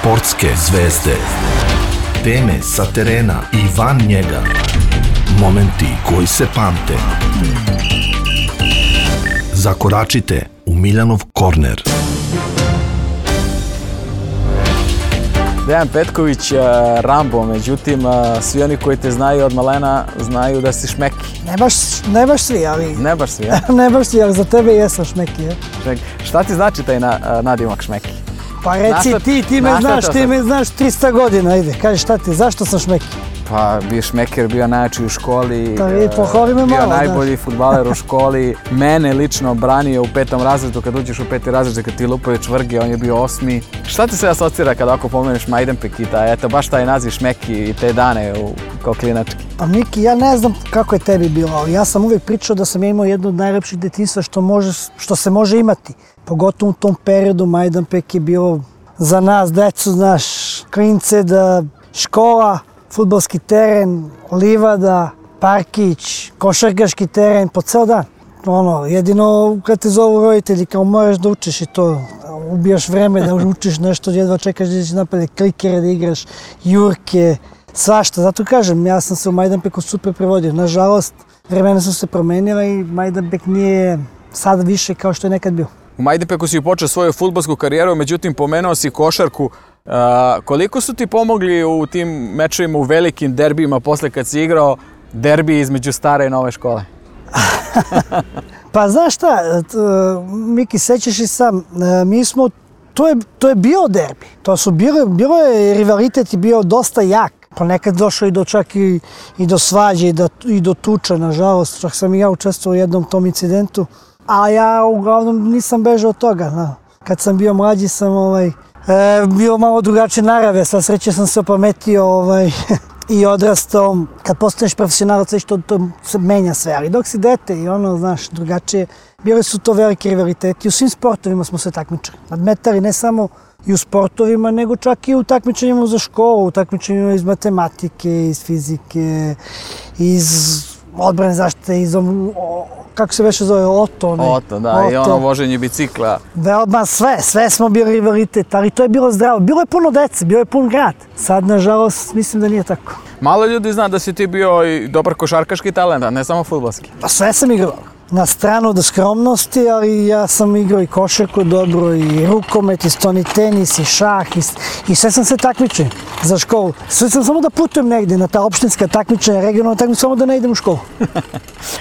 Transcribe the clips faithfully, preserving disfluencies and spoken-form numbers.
Sportske zvezde. Teme sa terena i van njega. Momenti koji se pamte. Zakoračite u Miljanov korner. Dejan Petković, Rambo, međutim, svi oni koji te znaju od malena znaju da si šmeki. Ne baš, ne baš svi, ali... Ne baš svi, ja? Ne baš svi, ali za tebe jesam šmeki, ja? Šmeki. Šta ti znači taj na, nadimak šmeki? Pa reci našta, ti, ti me znaš, ti me znaš trista godina, ajde, kaži šta ti, zašto sam šmeki? Pa bio šmeker, bio najjači u školi, da, i pohvali me bio malo, najbolji fudbaler u školi, mene lično branio u petom razredu, kad uđeš u peti razred, kad ti lupaju čvrge, on je bio osmi. Šta ti se asocira kada ako pomeneš Majdanpek i taj, eto baš taj naziv šmeki i te dane u, kao klinački? Pa Miki, ja ne znam kako je tebi bilo, ali ja sam uvijek pričao da sam ja imao jedno od najlepših detinjstva što, može, što se može imati. Pogotovo u tom periodu Majdanpek je bio za nas, decu, znaš, klince, da škola, fudbalski teren, livada, parkić, košarkaški teren, po ceo dan. Ono, jedino kad te zovu roditelji, kao moraš da učiš i to, ubijaš vreme da učiš nešto, jedva čekaš da ćeš napade klikere, da igraš, jurke, svašta. Zato kažem, ja sam se u Majdanpeku super prevodio. Nažalost, vremena su se promenila i Majdanpek nije sada više kao što je nekad bio. U Majdanpeku si počeo svoju fudbalsku karijeru, međutim pomenuo si košarku. Uh, koliko su ti pomogli u tim mečevima, u velikim derbijima posle kad si igrao derbi između stare i nove škole? Pa znaš šta, Miki, sećaš i sam, mi smo, to je, to je bio derbi, to su bile, bilo je rivalitet i bio dosta jak. Ponekad došao i do čak i, i do svađe i do, i do tuča, nažalost, čak sam i ja učestvovao u jednom tom incidentu, a ja uglavnom nisam bežao od toga. No. Kad sam bio mlađi sam ovaj, E, bio malo drugačije narave, sa sreće sam se opametio ovaj, i odrastao. Kad postaneš profesionalac, već to, to se menja sve, ali dok si dete i ono, znaš, drugačije, bili su to veliki rivaliteti. U svim sportovima smo se takmičili. Nadmetali ne samo i u sportovima, nego čak i u takmičenjima za školu, u takmičenjima iz matematike, iz fizike, iz odbrane zaštite, iz kako se veše zove, Oto. Ne? Oto, da, Oto. I ono voženje bicikla. Veoma sve, sve smo bili rivalitet, ali to je bilo zdravo. Bilo je puno dece, bio je pun grad. Sad, nažalost, mislim da nije tako. Malo ljudi zna da si ti bio i dobar košarkaški talent, a ne samo fudbalski. Pa sve sam igrao. Na stranu od skromnosti, ali ja sam igrao i košarku dobro, i rukomet, i stoni tenis, i šah, i, i sve sam se takmičio za školu. Sve sam samo da putujem negdje na ta opštinska takmičenja, regionalna takmičenja, samo da ne idem u školu.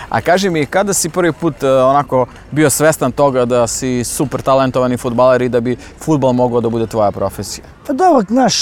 A kaži mi, kada si prvi put onako bio svestan toga da si super talentovani fudbaler i da bi fudbal mogao da bude tvoja profesija? Pa dobro, znaš,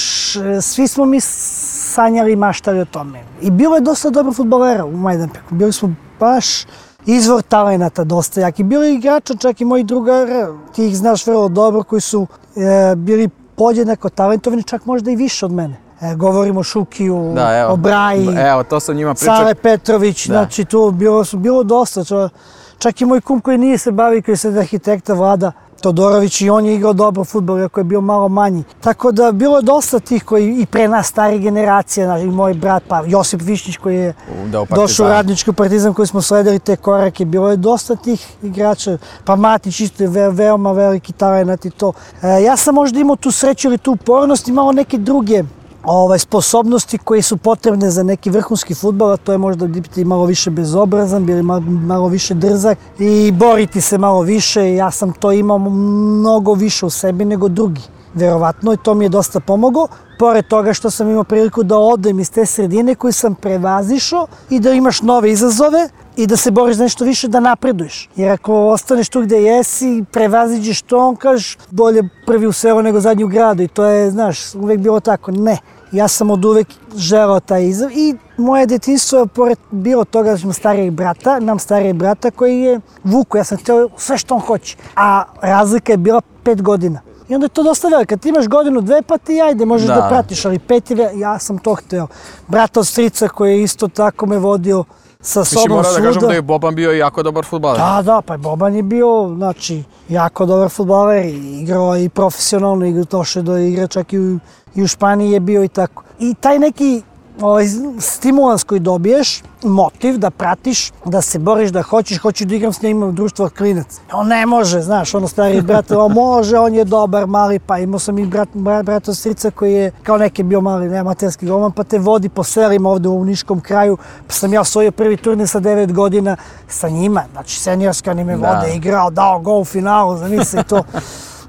svi smo mi sanjali i maštali o tome. I bilo je dosta dobro fudbalera u Majdanpeku. Bili smo baš izvor talenata dosta jaki. Bilo je igrača, čak i moji drugara, ti ih znaš vrlo dobro, koji su e, bili podjednako talentovani, čak možda i više od mene. E, govorimo o Šukiju, da, evo, o Braji, evo, to sam njima pričao. Sale Petrović, da. Znači tu bilo, bilo dosta. Čo, čak i moj kum koji nije se bavi, koji je sad arhitekta Vlada Todorović, i on je igrao dobro fudbal, iako je bio malo manji. Tako da bilo je dosta tih koji i pre nas stari generacije, znači, i moj brat, pa Josip Višnjić koji je u došao u Radnički Partizan, koji smo sledili te korake, bilo je dosta tih igrača, pa Matić isto je ve, veoma veliki talent i to. E, ja sam možda imao tu sreću ili tu upornost i malo neke druge ovaj, sposobnosti koje su potrebne za neki vrhunski fudbal, a to je možda biti malo više bezobrazan, bili malo, malo više drzak i boriti se malo više. Ja sam to imao mnogo više u sebi nego drugi, verovatno, i to mi je dosta pomoglo. Pored toga što sam imao priliku da odem iz te sredine koju sam prevazišao i da imaš nove izazove i da se boriš za nešto više, da napreduješ. Jer ako ostaneš tu gde jesi, prevaziđeš to, on kažeš bolje prvi u selu nego zadnji u gradu, i to je, znaš, uvek bilo tako. Ne, ja sam od uvek želeo taj izazov i moje detinjstvo je pored bilo toga da imam starijeg brata, imam starijeg brata koji je vuku, ja sam htio sve što on hoće, a razlika je bila pet godina. I onda je to dosta veliko. Kad ti imaš godinu, dve, pa ti ajde, možeš da, da pratiš, ali pet je, ja sam to hteo. Brat od strica koji je isto tako me vodio sa sobom svuda. Mislim, mora da kažem da je Boban bio jako dobar fudbaler. Da, da, pa Boban je bio, znači, jako dobar fudbaler, igrao i profesionalno, igrao došao do igra, čak i u, i u Španiji je bio i tako. I taj neki ovaj, stimulans koji dobiješ, motiv da pratiš, da se boriš, da hoćeš, hoću da igram s njim, imam društvo klinac. On ne može, znaš, ono stari brat, on može, on je dobar, mali, pa imao sam i brat, brat, brat od strica koji je kao neki bio mali, ne, amaterski golman, pa te vodi po selima ovde u Niškom kraju, pa sam ja osvojio prvi turnir sa devet godina sa njima, znači seniorski, oni me vode, da. Igrao, dao gol u finalu, zamisli to.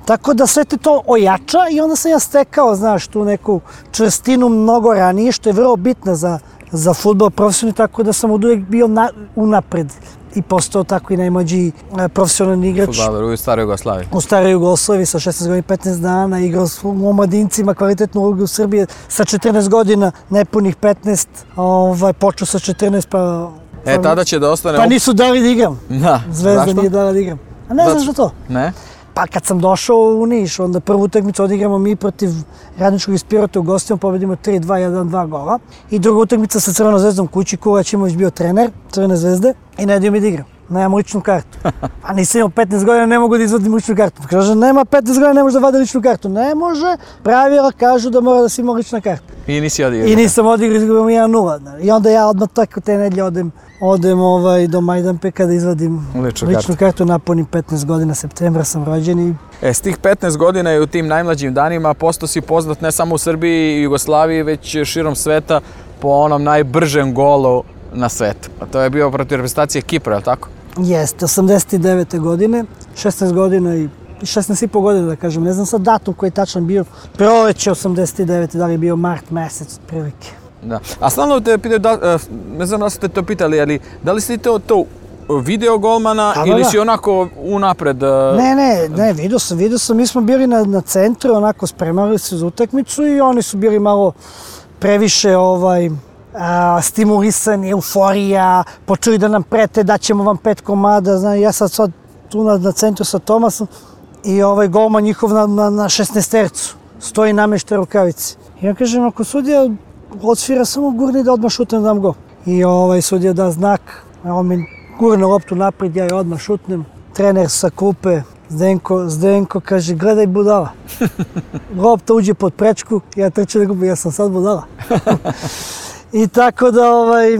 Tako da sve te to ojača i onda sam ja stekao, znaš, tu neku čvrstinu mnogo ranije, što je vrlo bitna za, za fudbal profesionalni, tako da sam od uvijek bio na, unapred i postao tako i najmlađi profesionalni igrač. Fudbaler u staroj Jugoslaviji. U staroj Jugoslaviji sa šesnaest godina i petnaest dana, igrao u omladincima kvalitetnu ulogu u Srbiji sa četrnaest godina, nepunih petnaest, ovaj, počeo sa četrnaest pa... E, tada će da ostane... Pa nisu dali da igram. Da, Zvezda zašto? nije dala da igram. A ne znaš za to? Ne? Pa kad sam došao u Niš, onda prvu utakmicu odigramo mi protiv Radničkog iz Pirota u gostima, pobedimo tri dva, jedan dva gola. I druga utakmica sa Crvenom zvezdom kući, Kulać Imović bio trener Crvene zvezde i ne dio mi da igram. Nemam ličnu kartu. A nisam imao petnaest godina, ne mogu da izvadim ličnu kartu. Kaže, nema petnaest godina, ne može da vadi ličnu kartu. Ne može, pravila kažu da mora da si ima lična karta. I nisi odigrao. I nisam odigrao, izgubimo jedan nula. I onda ja odmah tako te nedelje odem, odem ovaj, do Majdanpeka da izvadim ličnu, ličnu kartu. kartu. Napunim petnaest godina, septembra sam rođen i... E, s tih petnaest godina i u tim najmlađim danima postao si poznat ne samo u Srbiji i Jugoslaviji, već širom sveta po onom najbržem golu na svetu. A to je bio protiv reprezentacije Kipra, je li tako? Jeste, osamdeset devete godine, šesnaest godina i šesnaest i po godina, da kažem, ne znam sad datum koji je tačan bio, proleće osamdeset devete, da li je bio mart mesec, prilike. Da. A stalno te pitaju, da, ne znam da ste to pitali, ali da li si to, to video golmana da, ili da. si onako unapred? Ne, ne, ne, vidio sam, vidio sam, mi smo bili na, na centru, onako spremali se za utakmicu i oni su bili malo previše ovaj, a, stimulisani, euforija, počeli da nam prete, daćemo vam pet komada, znam, ja sad sad tu na, na centru sa Tomasom i ovaj golman njihov na, na, na šesnaestercu, stoji namešta rukavice. I ja kažem, ako sudija odsvira, samo gurni da odmah šutnem, dam go. I ovaj sudija da znak, on mi gurne loptu naprijed, ja je odmah šutnem. Trener sa klupe, Zdenko, Zdenko kaže, gledaj budala. Lopta uđe pod prečku, ja trčem da gubim, ja sam sad budala. I tako da, ovaj,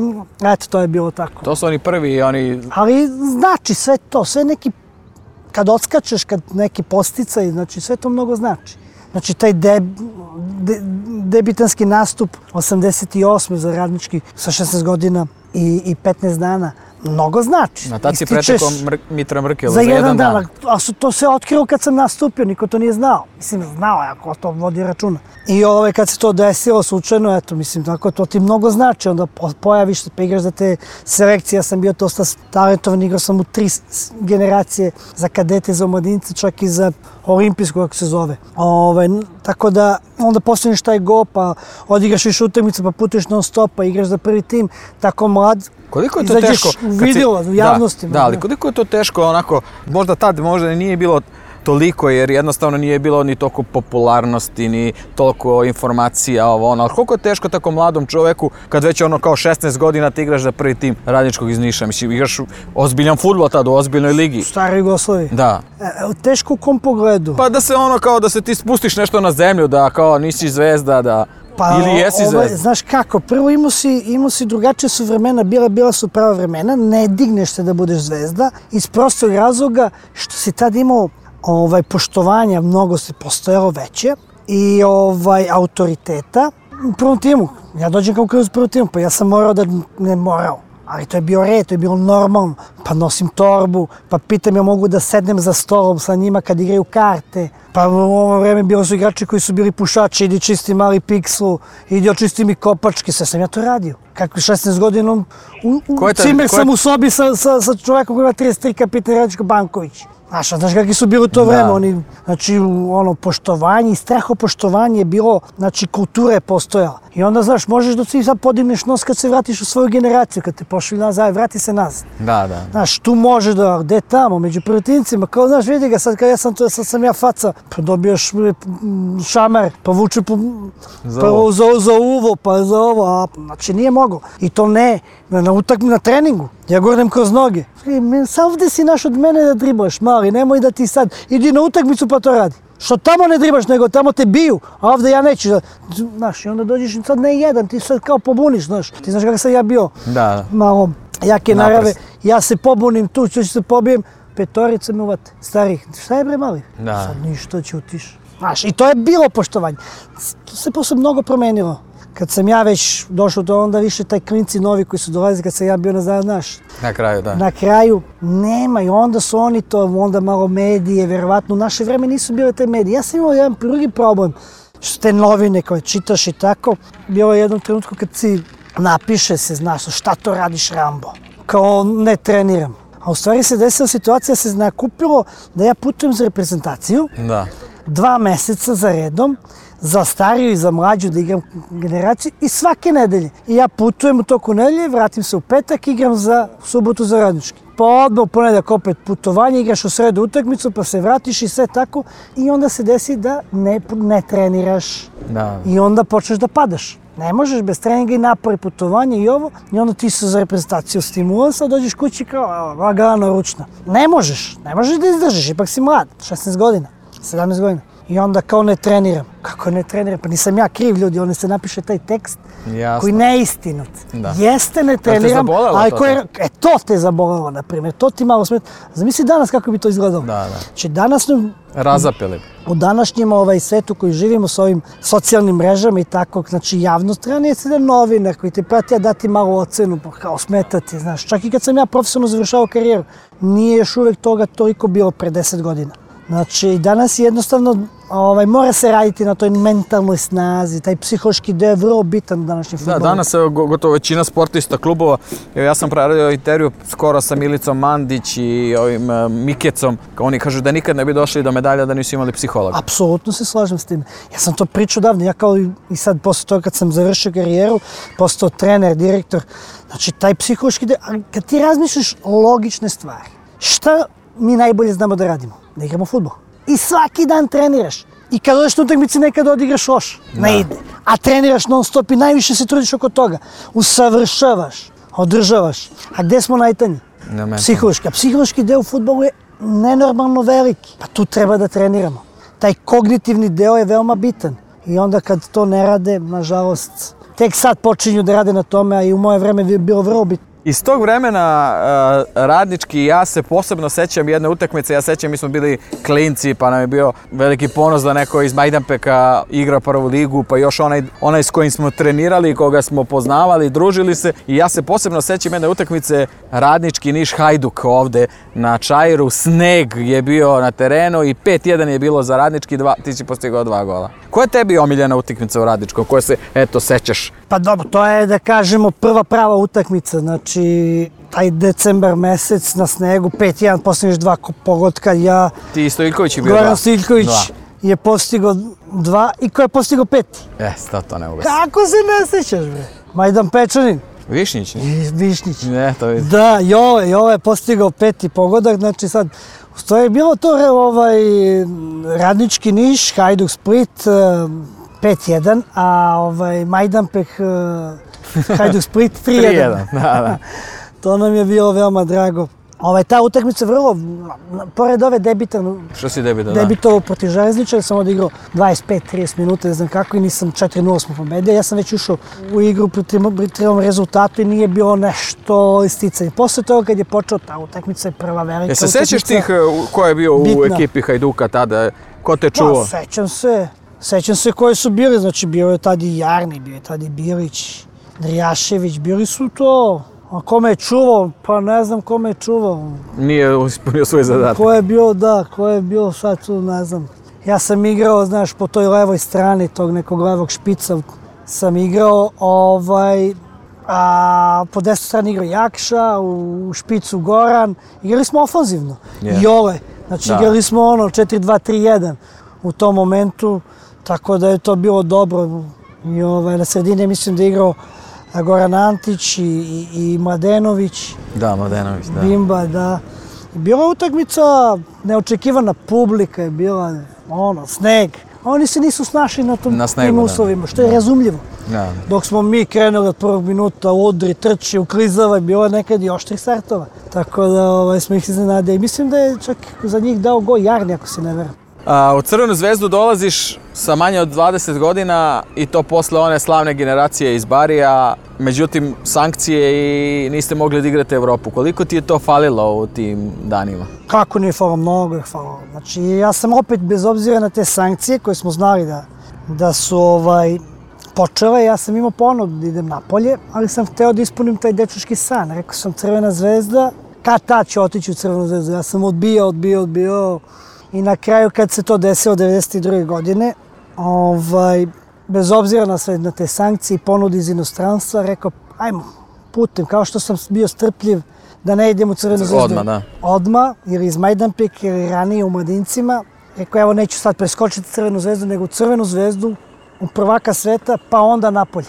eto, to je bilo tako. To su oni prvi, oni... Ali znači sve to, sve neki, kad odskačeš, kad neki posticaj, znači sve to mnogo znači. Znači taj deb, de, debitanski nastup osamdeset osme za Radnički sa šesnaest godina i, i petnaest dana, mnogo znači. Na tad si pretekao Mr Mitra Mrkela za jedan dan. dan. A su to sve otkrilo kad sam nastupio, niko to nije znao. Mislim, znao je ako to vodi računa. I ove, kad se to desilo slučajno, eto, mislim, tako to ti mnogo znači. Onda pojaviš se, pa igraš za te selekcije. Ja sam bio dosta talentovan, igrao sam u tri generacije za kadete, za omladince, čak i za olimpijsku, kako se zove. Ove, tako da, onda postaneš taj go, pa odigraš više utakmice, pa putuješ non stop, pa igraš za prvi tim, tako mlad. Koliko je to teško? Vidjela u javnosti. Da, da, ali koliko je to teško, onako, možda tad možda nije bilo toliko, jer jednostavno nije bilo ni toliko popularnosti, ni toliko informacija, ovo ono, ali koliko je teško tako mladom čoveku, kad već ono kao šesnaest godina ti igraš za prvi tim Radničkog iz Niša, mislim, igraš ozbiljan fudbal tad, u ozbiljnoj ligi. U staroj Jugoslaviji. Da. E, teško u kom pogledu? Pa da se ono kao da se ti spustiš nešto na zemlju, da kao nisi zvezda, da... Pa, ili jesi ovaj, zvezda? Znaš kako, prvo imao si, imao si drugačije su vremena, bila, bila su prava vremena, ne digneš se da budeš zvezda, iz prostog razloga što si tad imao ovaj, poštovanja, mnogo se postojalo veće i ovaj, autoriteta u prvom timu. Ja dođem kao kroz prvom timu, pa ja sam morao da ne morao. Ali to je bio red, to je bilo normalno. Pa nosim torbu, pa pitam ja mogu da sednem za stolom sa njima kad igraju karte. Pa u ovo vreme bilo su igrači koji su bili pušači, idi čisti mali pikslu, idi očisti mi kopačke, sve sam ja to radio. Kako šesnaest godina, u, u cimer sam u sobi sa, sa, sa čovjekom koji ima trideset tri, kapitan Radničko Banković. Znaš, znaš kakvi su bili u to vreme, oni, znači, ono, poštovanje i strahopoštovanje je bilo, znači, kultura je postojala. I onda, znaš, možeš da ti sad podigneš nos kad se vratiš u svoju generaciju, kad te pošli nazad, vrati se nazad. Da, da. Znaš, tu može da, gde tamo, među prvetincima, kao, znaš, vidi ga, sad kad ja sam to, sad sam ja faca, pa dobijaš šamar, pa vuče po, za, pa za, za uvo, pa za ovo, a, znači, nije mogo. I to ne, na, na utakmi, na treningu. Ja gurnem kroz noge. Sad ovdje si naš od mene da driblaš, mali, nemoj da ti sad, idi na utakmicu pa to radi. Što tamo ne dribaš, nego tamo te biju, a ovdje ja neću. Znaš, i onda dođeš i sad ne jedan, ti sad kao pobuniš, znaš. Ti znaš kako sam ja bio, da. malo jake narave, ja se pobunim tu, ću se pobijem, petorica me uvate, starih. Šta je bre mali? Da. Sad ništa ćutiš. Znaš, i to je bilo poštovanje. To se posle mnogo promenilo. Kad sam ja već došao do onda više taj klinci novi koji su dolazili kad sam ja bio na znaš. Na kraju, da. Na kraju nema i onda su oni to, onda malo medije, vjerovatno u naše vreme nisu bile te medije. Ja sam imao jedan drugi problem, što te novine koje čitaš i tako. Bilo je jednom trenutku kad si napiše se, znaš, šta to radiš Rambo? Kao ne treniram. A u stvari se desila situacija, se nakupilo da ja putujem za reprezentaciju. Da. Dva meseca za redom, za stariju i za mlađu da igram generaciju i svake nedelje. I ja putujem u toku nedelje, vratim se u petak, igram za subotu za Radnički. Pa odmah u ponedeljak opet putovanje, igraš u sredu utakmicu, pa se vratiš i sve tako. I onda se desi da ne, ne treniraš. Da. I onda počneš da padaš. Ne možeš bez treninga i napori putovanja i ovo. I onda ti se za reprezentaciju stimulansa, dođeš kući kao lagano, ručno. Ne možeš, ne možeš da izdržiš, ipak si mlad, šesnaest godina, sedamnaest godina. I onda kao ne treniram. Kako ne treniram? Pa nisam ja kriv, ljudi, onda se napiše taj tekst. Jasno. Koji ne je istinut. Da. Jeste, ne treniram, ali to, ko je, e, to te zabolelo, na primjer, to ti malo smeta. Zamisli danas kako bi to izgledalo. Da, da. Znači danas nam, razapeli. U današnjem ovaj, svetu koji živimo s ovim socijalnim mrežama i tako, znači javnost treba nije jedan novinar koji te prati, a dati malu ocenu, pa kao smetati, znaš. Čak i kad sam ja profesionalno završavao karijeru, nije još uvek toga toliko bilo pre deset godina. Znači, danas jednostavno ovaj, mora se raditi na toj mentalnoj snazi, taj psihološki deo je vrlo bitan u današnjem fudbalu. Da, danas je gotovo većina sportista klubova. Ja sam preradio intervju skoro sa Milicom Mandić i ovim uh, Mikecom. Oni kažu da nikad ne bi došli do medalja da nisu imali psihologa. Apsolutno se slažem s tim. Ja sam to pričao davno. Ja kao i sad posle toga kad sam završio karijeru, postao trener, direktor. Znači, taj psihološki deo, kad ti razmišljaš logične stvari, šta mi najbolje znamo da radimo? Da igramo fudbal. I svaki dan treniraš. I kad odeš na utakmici nekad odigraš loš. Ne ide. A treniraš non stop i najviše se trudiš oko toga. Usavršavaš, održavaš. A gde smo najtanji? Psihološki. A psihološki deo u fudbalu je nenormalno veliki. Pa tu treba da treniramo. Taj kognitivni deo je veoma bitan. I onda kad to ne rade, nažalost, tek sad počinju da rade na tome, a i u moje vreme je bilo vrlo bitno. Iz tog vremena uh, Radnički, ja se posebno sećam jedne utakmice, ja sećam, mi smo bili klinci, pa nam je bio veliki ponos da neko iz Majdanpeka igra prvu ligu, pa još onaj, onaj s kojim smo trenirali, koga smo poznavali, družili se. I ja se posebno sećam jedne utakmice Radnički Niš Hajduk ovde na Čairu, sneg je bio na terenu i pet jedan je bilo za Radnički, dva, ti si postigao dva gola. Koja je tebi omiljena utakmica u Radničkom, koja se, eto, sećaš? Pa dobro, to je, da kažemo, prva prava utakmica, znači taj decembar mesec na snegu, pet jedan, postigneš dva pogotka, ja... Ti i Stojiljković je bio dva. Goran Stojiljković je postigao dva i ko je postigao pet? Jes, to, to ne mogu. Kako se ne sećaš, bre? Majdan Pečanin. Višnjić? Višnjić. Ne, to vidim. Da, Jove, Jove je postigao peti pogodak, znači sad... To je bilo to ovaj, Radnički Niš, Hajduk Split, pet jedan, a ovaj, Majdanpek, Hajduk Split tri jedan. tri jedan, da, da. To nam je bilo veoma drago. Ovaj, ta utakmica vrlo, pored ove debitan, što si debitan, da? Debitovao protiv Železničara, sam odigrao dvadeset pet trideset minuta, ne znam kako, i nisam četiri nula smo pobedio. Ja sam već ušao u igru pri trivom rezultatu i nije bilo nešto isticanje. Posle toga kad je počeo ta utakmica je prva velika utakmica. Je se sećaš tih ko je bio bitna u ekipi Hajduka tada, ko te čuo? Pa, sećam se, sećam se koji su bili, znači bio je tad i Jarni, bio je tad i Bilić, Drijašević, bili su to. A kome je čuvao? Pa ne znam kome je čuvao. Nije ispunio svoj zadatak. Ko je bio, da, ko je bio sad tu, ne znam. Ja sam igrao, znaš, po toj levoj strani tog nekog levog špica sam igrao, ovaj, a po desnoj strani igrao Jakša, u špicu Goran. Igrali smo ofanzivno. Yeah. Jole, znači da. Igrali smo ono četiri dva tri jedan u tom momentu, tako da je to bilo dobro. I ovaj, na sredini mislim da je igrao Goran Antić i, i, i Mladenović. Da, Mladenović, da. Bimba, da. Bila je utakmica, neočekivana publika je bila, ono, sneg. Oni se nisu snašli na tom, na snegu, tim uslovima, što je da. Razumljivo. Da. Dok smo mi krenuli od prvog minuta, udri, trči, uklizava, bilo je nekad i oštrih startova. Tako da ovaj, smo ih iznenadili. Mislim da je čak za njih dao gol Jarni, ako se ne veram. A, u Crvenu zvezdu dolaziš sa manje od dvadeset godina i to posle one slavne generacije iz Barija, međutim sankcije i niste mogli da igrate Evropu. Koliko ti je to falilo u tim danima? Kako nije falilo? Mnogo je falilo. Znači, ja sam opet, bez obzira na te sankcije koje smo znali da, da su ovaj, počele, ja sam imao ponudu da idem napolje, ali sam hteo da ispunim taj dečački san. Rekao sam Crvena zvezda, kad tad ću otići u Crvenu zvezdu. Ja sam odbijao, odbijao, odbijao. I na kraju kad se to desilo devedeset druge godine, ovaj, bez obzira na sve na te sankcije i ponudi iz inostranstva, rekao ajmo putem, kao što sam bio strpljiv da ne idem u Crvenu zvezdu. Odmah, da. Odmah, ili iz Majdanpek, ili ranije u Mladincima. Rekao evo neću sad preskočiti Crvenu zvezdu, nego u Crvenu zvezdu, u prvaka sveta, pa onda napolje.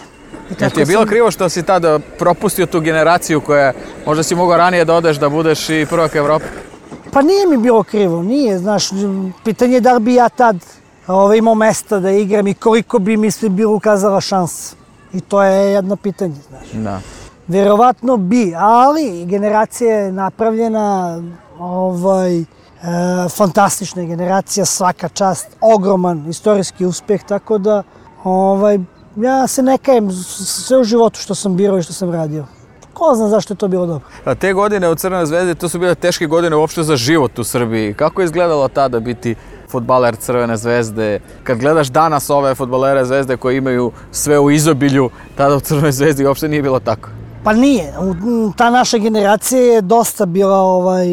Jel ti je bilo sam... krivo što si tada propustio tu generaciju koja možda si mogao ranije da odeš da budeš i prvak Evrope? Pa nije mi bilo krivo, nije, znaš, pitanje je da li bi ja tad ovaj, imao mesta da igram i koliko bi mi sve bilo ukazala šansa. I to je jedno pitanje, znaš. Da. Vjerovatno bi, ali generacija je napravljena, ovaj, e, fantastična generacija, svaka čast, ogroman istorijski uspjeh, tako da ovaj, ja se ne kajem sve u životu što sam birao i što sam radio. Ko zna zašto je to bilo dobro. A te godine u Crvenoj zvezdi, to su bile teške godine uopšte za život u Srbiji. Kako je izgledalo tada biti fudbaler Crvene zvezde? Kad gledaš danas ove fudbalere zvezde koji imaju sve u izobilju, tada u Crvenoj zvezdi uopšte nije bilo tako. Pa nije. Ta naša generacija je dosta bila ovaj,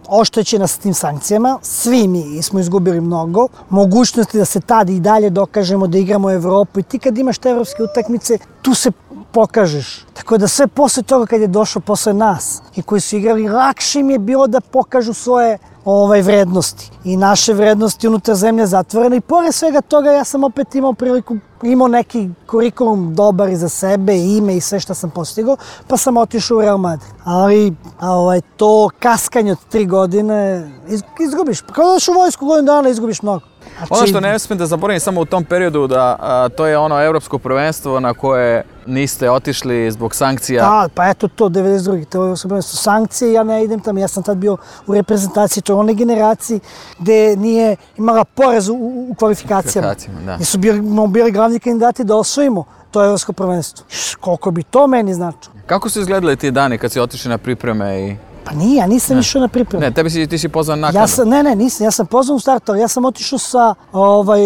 oštećena sa tim sankcijama. Svi mi smo izgubili mnogo. Mogućnosti da se tad i dalje dokažemo da igramo u Evropu. I ti kad imaš te evropske utakmice, tu se pokažeš. Tako da sve posle toga kad je došao posle nas i koji su igrali, lakše im je bilo da pokažu svoje ovaj, vrednosti. I naše vrednosti unutar zemlje zatvorene. I pored svega toga ja sam opet imao priliku, imao neki kurikulum dobar i za sebe, ime i sve što sam postigao, pa sam otišao u Real Madrid. Ali ovaj, to kaskanje od tri godine iz, izgubiš. Kada dođeš u vojsku godinu dana izgubiš mnogo. Znači... Ono što ne smijem da zaboravim samo u tom periodu, da a, to je ono evropsko prvenstvo na koje niste otišli zbog sankcija. Da, pa eto to, devedeset druge To je evropsko prvenstvo. Sankcije, ja ne idem tamo. Ja sam tad bio u reprezentaciji, to je one generaciji gde nije imala porez u, u kvalifikacijama. Da. Gde su bili, bili glavni kandidati da osvojimo to evropsko prvenstvo. Koliko bi to meni značilo. Kako su izgledali ti dani kad si otišli na pripreme i... Pa nije, ja nisam išao na pripremu. Ne, tebi si, ti si pozvan naknadno. Ja sam, ne, ne, nisam. Ja sam pozvan u startu, ali ja sam otišao sa ovaj,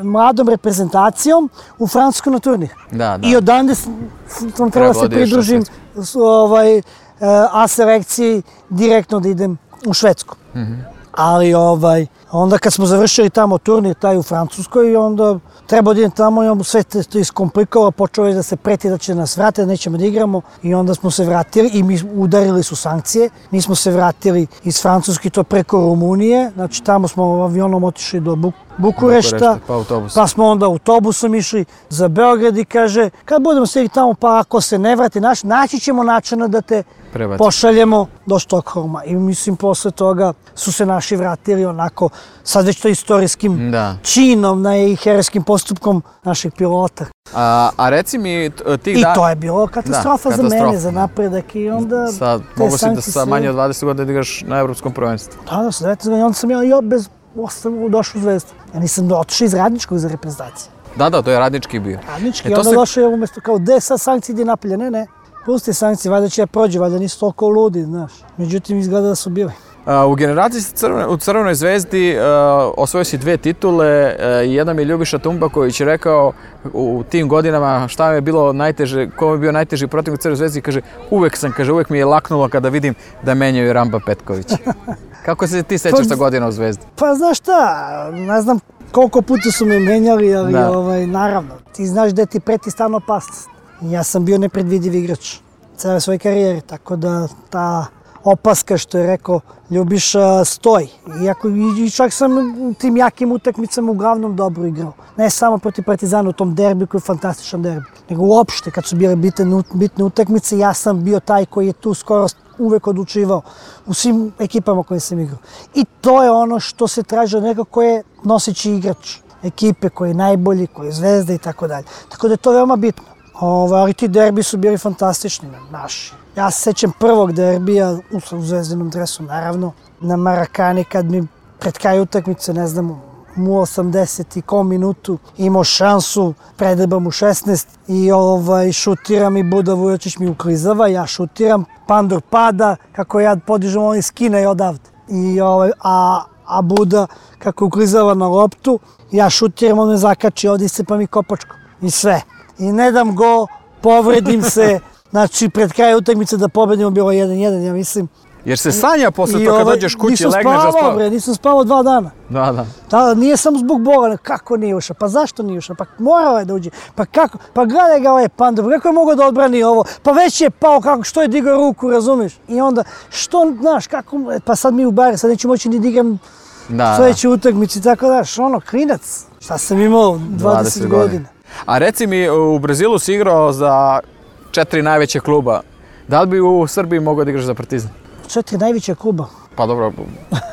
mladom reprezentacijom u Francusku na turnir. Da, da. I odande sam trebao da se pridružim ovaj, A selekciji direktno da idem u Švedsku. Mm-hmm. Ali ovaj, onda kad smo završili tamo turnir taj u Francuskoj, onda trebao da idem tamo i on sve to iskomplikovalo, počeo je da se preti da će nas vratiti, da nećemo da igramo i onda smo se vratili i mi udarili su sankcije. Mi smo se vratili iz Francuske, to preko Rumunije, znači tamo smo avionom otišli do Buk Bukurešta, pa, autobus. Pa smo onda autobusom išli za Beograd i kaže kad budemo stigli tamo pa ako se ne vrati naš, naći ćemo načina da te Prebaci. Pošaljemo do Štokholma. I mislim posle toga su se naši vratili onako sad već to istorijskim da. činom i herojskim postupkom naših pilota. A, a reci mi tih I dana... to je bilo katastrofa, da, katastrofa za mene, za napredak i onda... Sad, mogu si da sa manje od dvadeset godina da igraš na evropskom prvenstvu. Da, da, sa devedeset godina, onda sam ja i bez ostavu došao u Zvezdu. Ja nisam otišao iz Radničkog za reprezentaciju. Da, da, to je Radnički bio. Radnički, e, onda se... došao je umjesto kao, gde sad sankcije ide napolje? Ne, ne. Pusti sankcije, valjda će ja prođe, valjda nisu toliko ludi, znaš. Međutim, izgleda da su bili. Uh, u generaciji crvene, u Crvenoj zvezdi uh, osvojio si dve titule i uh, jedan mi je Ljubiša Tumbaković rekao u tim godinama šta mi je bilo najteže, ko mi je bio najteži protiv u Crvenoj zvezdi, kaže uvek sam, kaže uvek mi je laknulo kada vidim da menjaju Ramba Petkovića. Kako se ti sećaš ta godina u Zvezdi? Pa znaš šta, ne znam koliko puta su me menjali, ali ovaj, naravno, ti znaš da ti preti stalno opasnost. Ja sam bio nepredvidiv igrač cele svoje karijere, tako da ta opaska što je rekao Ljubiša stoji. Iako, i čak sam u tim jakim utakmicama uglavnom dobro igrao. Ne samo protiv Partizana u tom derbiju koji je fantastičan derbi, nego uopšte kad su bile bitne, bitne utakmice, ja sam bio taj koji je tu skoro uvek odlučivao u svim ekipama koje sam igrao. I to je ono što se traži od nekog ko je noseći igrač ekipe, koji je najbolji, koji je zvezda i tako dalje. Tako da je to veoma bitno. Ove, ali ti derbi su bili fantastični, naši. Ja se sećam prvog derbija u zvezdinom dresu, naravno, na Marakani, kad mi pred kraj utakmice, ne znam, mu osamdeset i kom minutu imao šansu, predreba mu šesnaest i ovaj, šutiram i Buda Vujočić mi uklizava, ja šutiram, Pandur pada, kako ja podižem, on skine i odavde. I, ovaj, a, a Buda, kako uklizava na loptu, ja šutiram, on me zakači, ovdje se pa mi kopačko. I sve. I ne dam go, povredim se, znači pred kraj utakmice da pobedimo bilo jedan jedan, ja mislim. Jer se sanja posle to kad dođeš kući, legneš da spavaš? Nisam spavao, bre, nisam spavao dva dana. Da, da. Da, nije samo zbog bola, kako nije ušao, pa zašto nije ušao, pa morao je da uđe, pa kako, pa gledaj ga ovaj Pandur, kako je mogao da odbrani ovo, pa već je pao, kako, što je digao ruku, razumiješ? I onda, što, znaš, kako, pa sad mi u bari, sad neću moći ni da igram sljedeće utakmici, tako da, ono, klinac, šta sam imao, dvadeset godina. A reci mi, u Brazilu si igrao za četiri najveće kluba, da li bi u Srbiji mogao da igraš za Partizan? Četiri najveće kluba. Pa dobro,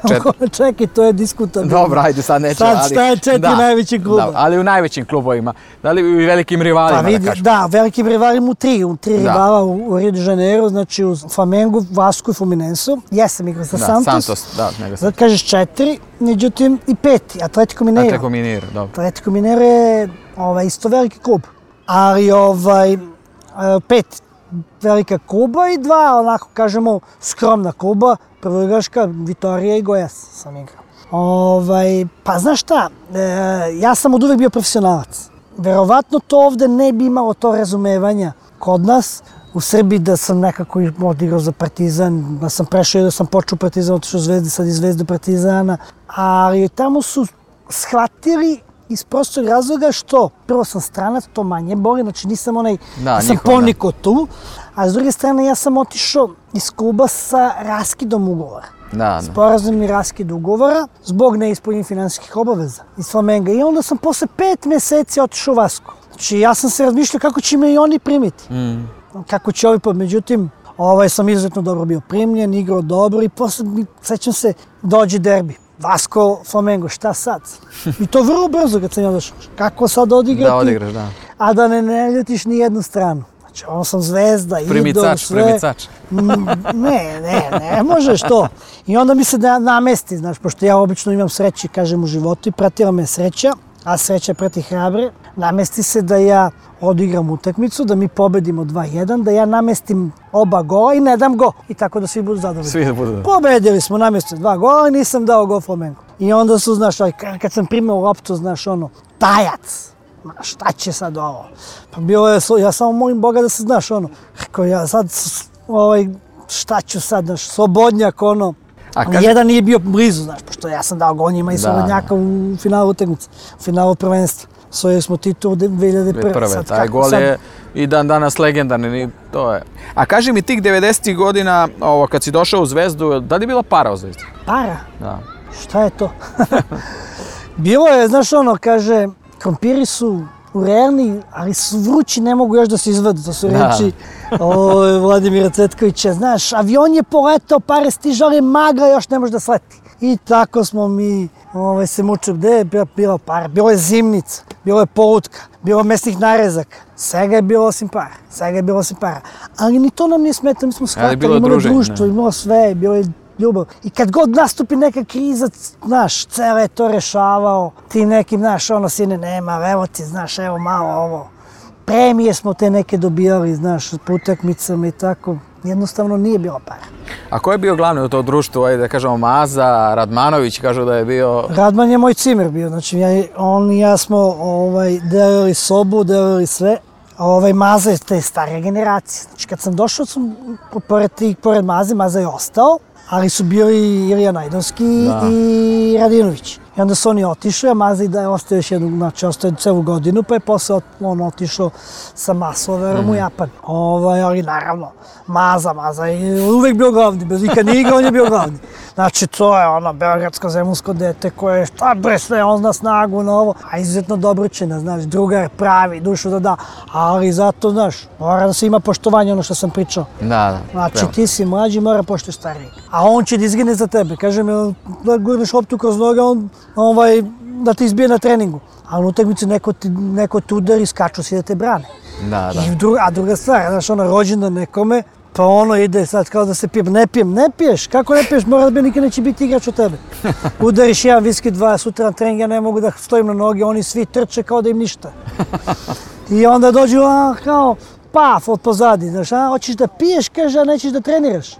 četiri. Čekaj, to je diskutabilno. Dobro, ajde, sad neću, sad, ali... Sad šta je četiri da, najveći kluba? Da, ali u najvećim klubovima. Da li u velikim rivalima, pa, vidi, da kažem? Da, velikim rivalima u tri. U tri da. rivala u, u Rio de Janeiro, znači u Flamengu, Vasku i Fluminensu. Jesam igrao za da, Santos. Santos, da, nego sam. Sad kažeš četiri, međutim i peti, Atletico Mineiro. Atletico Mineiro, dobro. Atletico Mineiro je ovaj, isto veliki klub. Ali ovaj, pet velika kluba i dva, onako kažemo, skromna kluba. Prvoligaška, Vitorija i Goiás sam igrao. Ovaj, pa znaš šta, e, ja sam od uvek bio profesionalac. Verovatno to ovde ne bi imalo to razumevanja kod nas. U Srbiji da sam nekako odigrao za Partizan, da sam prešao i da sam počeo Partizan, otišao Zvezde, sad iz Zvezde Partizana. Ali tamo su shvatili iz prostog razloga što prvo sam stranac, to manje boli, znači nisam onaj, da, ja sam poniko tu, a s druge strane ja sam otišao iz kluba sa raskidom ugovora. Da, da. Sporazumni raskid ugovora zbog neispunjenih finansijskih obaveza iz Flamenga. I onda sam posle pet meseci otišao u Vasku. Znači ja sam se razmišljao kako će me i oni primiti. Mm. Kako će ovi, međutim, ovaj sam izuzetno dobro bio primljen, igrao dobro i posle, sećam se, dođe derbi. Vasco, Flamengo, šta sad? I to vrlo brzo kad sam ja došao. Kako sad odigrati? Da odigraš, da. A da ne ne ljutiš ni jednu stranu. Znači, on sam zvezda, idol, sve. Primicač, Ne, ne, ne možeš to. I onda mi se da namesti, znaš, pošto ja obično imam sreće, kažem, u životu i pratila me sreća, a sreća prati hrabre. Namesti se da ja odigram utakmicu, da mi pobedimo dva jedan, da ja namestim oba gola i ne dam go. I tako da svi budu zadovoljni. Svi da budu da. Pobedili smo, namestili dva gola i nisam dao go Flamengu. I onda su, znaš, kad sam primao loptu, znaš, ono, tajac. Šta će sad ovo? Pa bilo je, ja samo molim Boga da se, znaš, ono, rekao ja sad, ovaj, šta ću sad, znaš, slobodnjak, ono. A kad... Jedan nije bio blizu, znaš, pošto ja sam dao gol njima i slobodnjaka u finalu utakmice, u finalu prvenstva. Osvojili smo titul dve hiljade prve. Prve, sad, taj gol sad... je i dan danas legendarni, to je. A kaži mi tih devedesetih godina, ovo, kad si došao u Zvezdu, da li je bila para u Zvezdi? Para? Da. Šta je to? Bilo je, znaš ono, kaže, krompiri su urejani, ali su vrući, ne mogu još da se izvadu. To su reči o, Vladimira Cvetkovića. Znaš, avion je poletao, pare stižu, ali magla još ne može da sleti. I tako smo mi ovaj, se mučili. Gde je bila para? Bilo je zimnica, bilo je polutka, bilo je mesnih narezaka. Svega je bilo osim para. Svega je bilo osim para. Ali ni to nam nije smetalo, mi smo shvatili, imalo je društvo, imalo sve, bilo je ljubav. I kad god nastupi neka kriza, znaš, cele je to rešavao. Ti nekim, znaš, ono, sine, nema, evo ti, znaš, evo malo ovo. Premije smo te neke dobijali, znaš, po utakmicama i tako. Jednostavno nije bilo para. A ko je bio glavni u to društvu, ajde da kažemo Maza, Radmanović, kažu da je bio... Radman je moj cimer bio, znači ja, on i ja smo ovaj, delili sobu, delili sve. Ovaj, Maza je te stare generacije. Znači kad sam došao, sam pored, pored Maze, Maza je ostao, ali su bili Ilija Najdovski da. I Radinović. I onda su oni otišli, a Maza i da je ostao još jednu, znači ostao je celu godinu, pa je posle on otišao sa Masloverom mm. u Japan. Ovaj, ali naravno, Maza, Maza je uvek bio glavni, bez nikad nije igrao, on je bio glavni. Znači to je ono beogradsko zemunsko dete koje šta bre sve, on zna snagu na ovo, a izuzetno dobročina, znaš, drugar pravi, dušu da da, ali zato, znaš, mora da se ima poštovanje ono što sam pričao. Da, da. Znači prema. Ti si mlađi, mora poštuješ stariji. A on će da izgine za tebe, kaže mi, da gurneš loptu kroz noge, on ovaj, da te izbije na treningu. A u utakmici neko, neko te udari, skaču si da te brane. Da, da. I druga, a druga stvar, znaš, ono, rođendan nekome, Pa ono ide sad kao da se pijem, ne pijem, ne piješ, kako ne piješ, mora da bi nikad neće biti igrač od tebe. Udariš jedan viski, dva, sutra na trening, ja ne mogu da stojim na noge, oni svi trče kao da im ništa. I onda dođu, a, kao, paf, od pozadi, znaš, a, hoćeš da piješ, kaže, a nećeš da treniraš.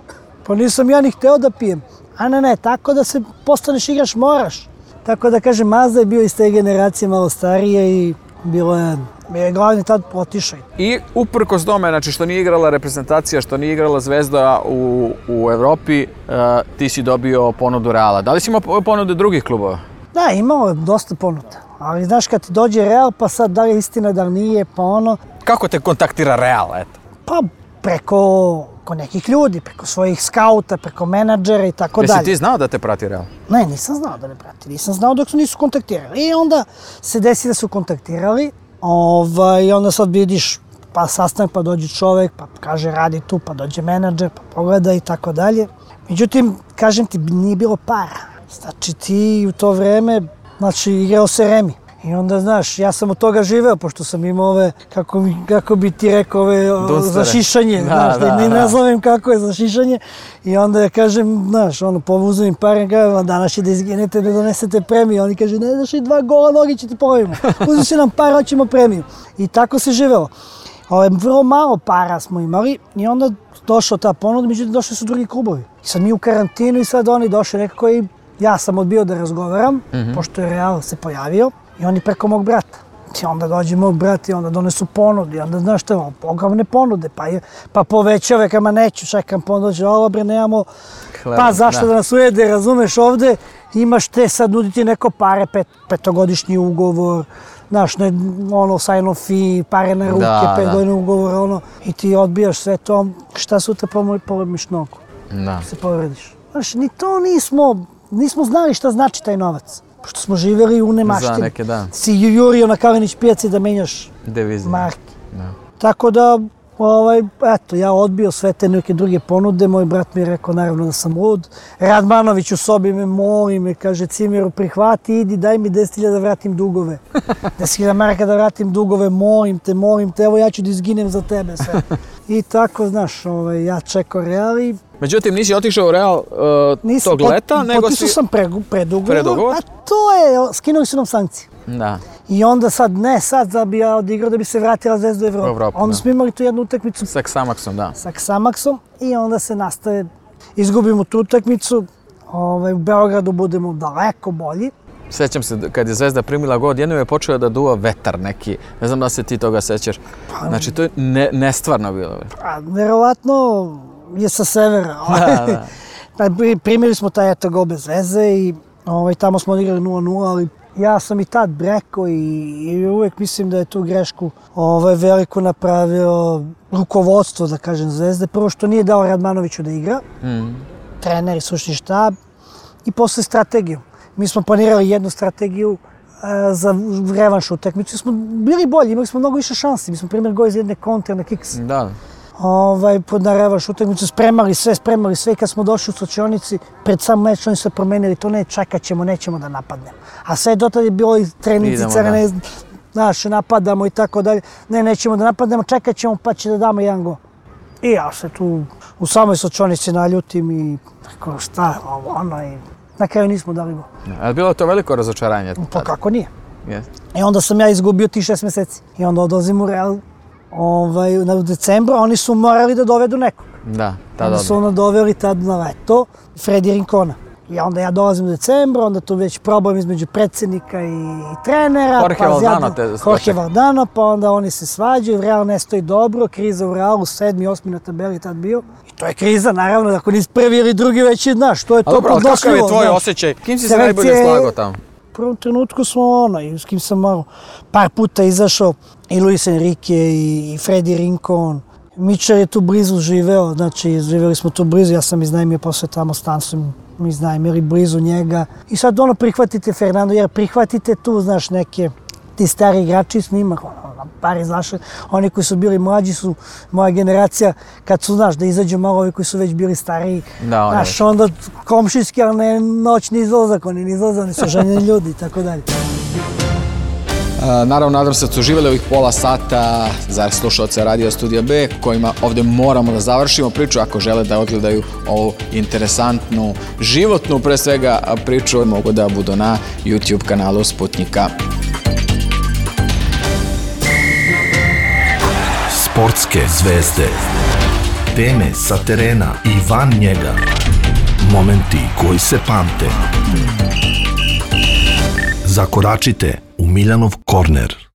Pa nisam ja ni hteo da pijem. A ne, ne, tako da se postaneš igrač moraš. Tako da kažem, Mazda je bio iz te generacije malo starije i bilo je, je glavni tad otišao. I uprkos tome, znači što nije igrala reprezentacija, što nije igrala Zvezda u, u Evropi, uh, ti si dobio ponudu Reala. Da li si imao ponude drugih klubova? Da, imao je dosta ponuda. Ali znaš kad ti dođe Real, pa sad da li je istina, da li nije, pa ono... Kako te kontaktira Real, eto? Pa preko, preko nekih ljudi, preko svojih skauta, preko menadžera i tako dalje. Jesi ti znao da te prati Real? Ne, nisam znao da me prati. Nisam znao dok su nisu kontaktirali. I onda se desi da su kontaktirali. Ovaj, I onda sad vidiš, pa sastanak, pa dođe čovek, pa kaže radi tu, pa dođe menadžer, pa pogleda i tako dalje. Međutim, kažem ti, nije bilo para. Znači ti u to vreme, znači igrao se Remi. I onda, znaš, ja sam od toga živeo, pošto sam imao ove, kako, mi, kako bi ti rekao, ove za šišanje, da, znaš, da, ne nazovem kako je za šišanje. I onda ja kažem, znaš, ono, povuzim im pare, i kažem, danas će da izginete, da donesete premiju. Oni kaže, ne daš i dva gola nogi će ti povijemo. Uzmi si nam para, hoćemo premiju. I tako se živelo. Ove, vrlo malo para smo imali i onda došla ta ponuda, međutim došli su drugi klubovi. I sad mi u karantinu i sad oni došli nekako i ja sam odbio da razgovaram, mm-hmm. pošto je Real se pojavio. I oni preko mog brata. I onda dođe mog brat i onda donesu ponude. I onda, znaš što, ogromne ponude. Pa, je, pa povećave, kama neću, čekam ponudu, dođe, ovo bre, nemamo, Hleba, pa zašto da. da nas ujede, razumeš, ovde imaš te, sad nuditi neko pare, pet, petogodišnji ugovor, znaš, ne, ono, sign-off fee, pare na ruke, da, petgodini ugovor, ono, i ti odbijaš sve to, šta sutra polemiš nogu, da. Se povrediš. Znaš, ni to nismo, nismo znali šta znači taj novac. Pošto smo živjeli u nemaštini. Za neke, da. Si jurio na Kalinić pijaci da menjaš devizije. Marke. Da. Tako da, ovaj, eto, ja odbio sve te neke druge ponude. Moj brat mi je rekao, naravno, da sam lud. Radmanović u sobi me moli, me kaže, Cimiru, prihvati, idi, daj mi deset hiljada da vratim dugove. deset hiljada maraka da vratim dugove, molim te, molim te, evo ja ću da izginem za tebe sve. I tako, znaš, ovaj, ja čekao Real i... Međutim, nisi otišao u Real uh, Nisam, tog leta, nego si... Potpisao sam predugovor, predugovor, a to je, skinuli su nam sankcije. Da. I onda sad, ne sad da bi ja odigrao da bi se vratila Zvezda u Evropu. Evropu onda da. Smo imali tu jednu utakmicu. Sa Xamaxom, da. Sa Xamaxom i onda se nastave, izgubimo tu utakmicu, ovaj, u Beogradu budemo daleko bolji. Sjećam se, kad je Zvezda primila gol, jednom je počeo da duva vetar neki. Ne znam da se ti toga sećaš. Znači, to je ne, nestvarno bilo. Pa, verovatno je sa severa. Da, da. Pa, primili smo taj eto gol bez veze i ovaj, tamo smo odigrali nula nula, ali ja sam i tad rekao i, i uvijek mislim da je tu grešku ovaj, veliko napravio rukovodstvo, da kažem, Zvezde. Prvo što nije dao Radmanoviću da igra, mm. trener i stručni štab i posle strategiju. Mi smo planirali jednu strategiju uh, za revanš utakmicu. Smo bili bolji, imali smo mnogo više šansi. Mi smo primjer gol iz jedne kontre na kiks. Da. Ovaj, na revanš utakmicu spremali sve, spremali sve i kad smo došli u slačionici, pred sam meč oni se promenili, to ne, čekat ćemo, nećemo da napadnemo. A sve dotad je bilo i treninci, crne, znaš, napadamo i tako dalje. Ne, nećemo da napadnemo, čekat ćemo pa će da damo jedan gol. I ja se tu u samoj slačionici naljutim i tako šta, ovo, ono i na kraju nismo dali gol. Ali bilo to veliko razočaranje? Pa kako nije. Yes. I onda sam ja izgubio tih šest mjeseci. I onda odlazim u Real. Ovaj, u decembru, oni su morali da dovedu nekog. Da, tada. Onda su ono doveli tad na leto, Fredi Rincona. I onda ja dolazim u decembru, onda tu već problem između predsjednika i trenera. Jorge pa Valdano te Jorge Valdano, pa onda oni se svađaju, Real ne stoji dobro, kriza u Realu, sedmi, osmi na tabeli tad bio. I to je kriza, naravno, ako nisi prvi ili drugi već je, znaš, to je to podnošljivo. Ali kakav je tvoj osjećaj? Kim si se najbolje slagao tamo? U prvom trenutku smo ono, i s kim sam malo par puta izašao, i Luis Enrique i, i Fredi Rincon. Mičar je tu blizu živeo, znači živjeli smo tu blizu, ja sam iznajmio posle tamo stan, sam iznajmili blizu njega. I sad ono prihvatite Fernando, jer prihvatite tu, znaš, neke ti stari igrači s njima, ono, par izašli, oni koji su bili mlađi su moja generacija, kad su, znaš, da izađu malo ovi koji su već bili stariji, da, znaš, onda komšijski, ali ne noćni izlazak, oni ne izlaze, oni su ženjeni ljudi i tako dalje. Naravno, nadam se da su uživali ovih pola sata za slušalce Radio Studija B, kojima ovde moramo da završimo priču. Ako žele da odgledaju ovu interesantnu, životnu pre svega priču, mogu da budu na YouTube kanalu Sputnika. Sportske zvezde, teme sa terena i van njega, momenti koji se pamte. Zakoračite u Miljanov korner.